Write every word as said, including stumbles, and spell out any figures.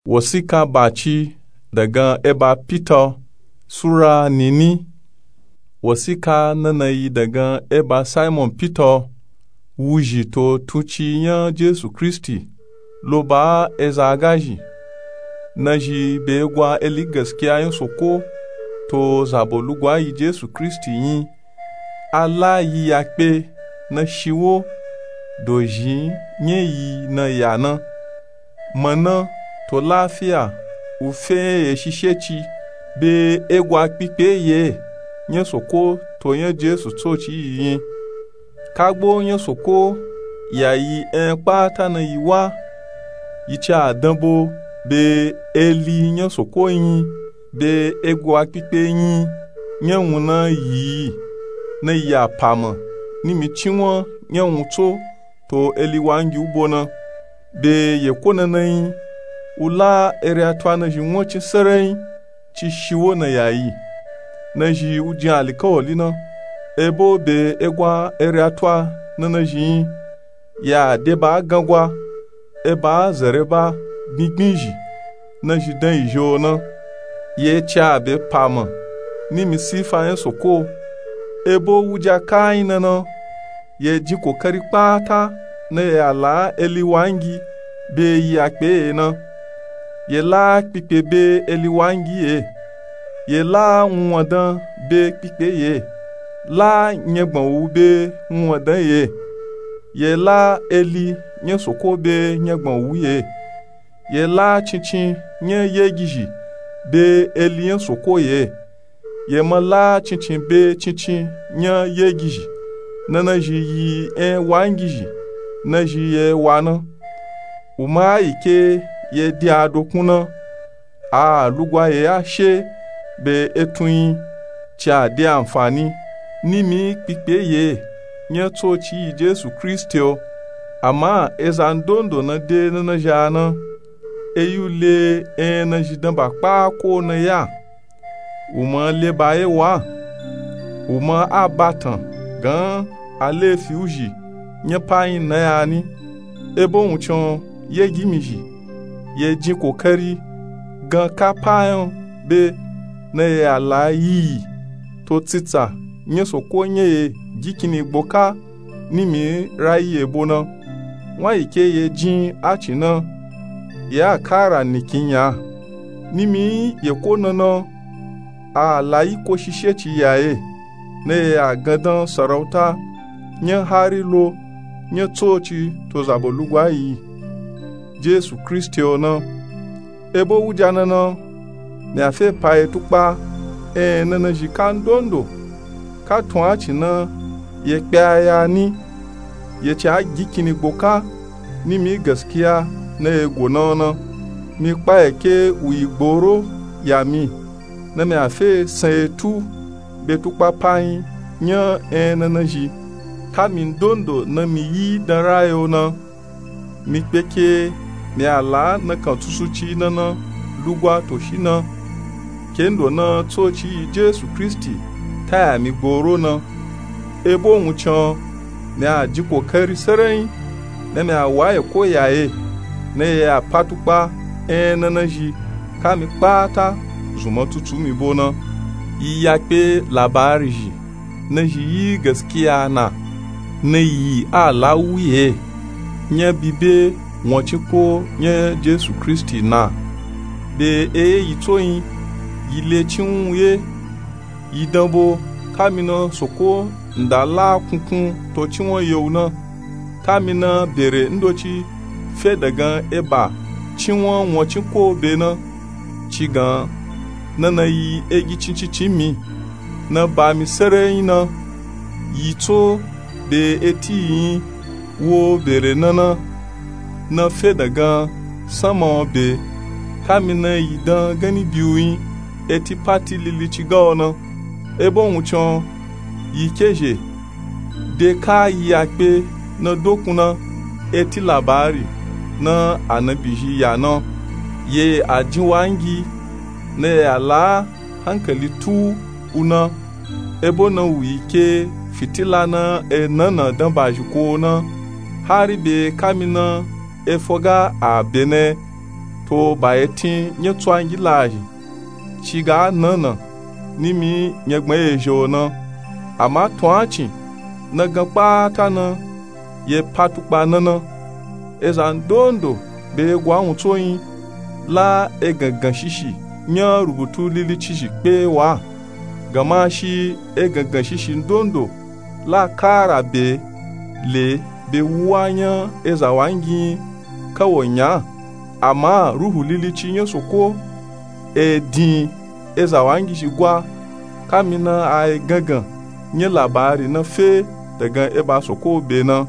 Wasika baci dagan eba Pita. Sura nini. Wasika nana yi dagan eba Simon Pita, wuzhi to tunci nya Jesu Kristi, lo ba eza agazhi. Nazhi be gwa eli gaskiya nya soko to zabo lugwa yi Jesu Kristi nyi. A la yi ya kpe na shiwo dozhi nya yi na ya na. Mana to lafiya wu fe nya ye shisheci be egwa kpikpe ye nya soko to nya Jesu tsoci yi nyi. Kagbo nya soko ya yi enya kpata na yi wa. Yi ca danbo be eli nya soko nyi be egwa kpikpe nyi nya wun na yi na ya pama nimi cinwan nya wun tso to eli wangi wu bo na. Be ye ko nana nyi wu la eri atwa nazhi won cin sere nyi ci shiwo na ya yi. Nazhi wu jin alikawali na ebo be egwa eri atwa na nazhi nyi. Ya de ba gangwa eba zere ba gbingbin zhi nazhi dan yi zho na. Ye ca be pama nimi sifa nya soko ebo wuja kayi nana. Ye jin kokari kpata na ye ya la eli wangi be yi ya kpe ye na. Ye la kpikpe be eli wangi ye. Ye la wunwandan be kpikpe ye. La nyagban wu be wunwandan ye. Ye la eli nya soko be nyagban wu ye. Ye la cincin nya yegizhi be eli nya soko ye. Ye ma la cincin be cincin nya yegizhi. Na nazhi yi enya wangizhi nazhi ye wa na. Wu ma a yi ke ye di adokun na. A lugwa ye a she be etun nyi ca de anfani nimi kpikpe ye nya tsoci yi Jesu Kristi o. Ama eza ndondo na de na nazhi a na. Eyi wu le enya nazhi dan ba kpa ko na ya. Wu ma le ba ye wa. Wu ma a batan gan a lefi wuzhi nya pa nyi na ya ni. Ebo wun can ye gimi zhi ye jin kokari gan ka pa nya be na ye ya la yi yi to tsitsa nya soko nya ye gikini gboka nimi rayi ebo na. Won yi ke ye jin a cin na ye a kara nikin nya nimi ye ko nana. A la yi ko shisheci ya ye na ye ya gandan sarauta nya hari lo nya tsoci to zabo lugwa yi Jesu Kristi o na. Ebo wuja nana mi a fe pa ye tukpa enya na nazhi ka ndondo ka tun a cin na ye kpe a ya ni. Ye ca gikini gboka nimi gaskiya na ye go na na. Mi kpa ye ke wu yi gboro ya mi na mi a fe san ye tu be tukpa pa nyi nya enya na nazhi ka mi ndondo na mi yi dan rayi o na. Mi kpe ke mi a la nakan tsusuci nana lugwa to shi na ke ndo na tsoci yi Jesu Kristi ta ya mi gboro na. Ebo wun can mi a jin kokari sere nyi na mi a wa ye ko ya ye na ye ya pa tukpa enya na nazhi ka mi kpata zunma tutu mi bo na. Yi ya kpe labari zhi nazhi yi gaskiya na. Na yi a la wu ye nya bibe won cin ko nya Jesu Kristi na. Be eye yi tso nyi yi le cinwan ye. Yi danbo ka mi na soko nda la kunkun to cinwan ye wu na. Ka mi na bere ndoci fe dagan eba cinwan won cin ko be na. Ci gan nana yi egi cincincin mi na ba mi sere nyi na. Yi tso be eti yi nyi wo bere nana na fe dagan sanma o be. Ka mi na yi dan ganni biyu nyi eti pati lili ci ga o na. Ebo wun can yi ke zhe de ka yi ya kpe na dokun na eti labari na anabi zhi ya na. Ye a jin wangi na ye a la hankali tu wu na. Ebo na wu yi ke fitila na e nana dan ba zhi ko na. Hari be ka mi na e fo ga a be na kpe o ba etin nya tsuwangi laazhi ci ga a nan nan nimi nyagbanyezhe o nan. Ama tuncin na gan kpata nan ye pa tukpa nan nan. Eza ndondo be ye gwa wuntso nyi la egangan shishi nya rubutu lilicizhi kpe wa. Gama shi egangan shishi ndondo la kara be le be wuwa nya ezawangi nyi kawo nya. Ama ruhu lilici nya soko e din ezawangizhi gwa kamina a egangan nya labari na fe dagan eba soko be na.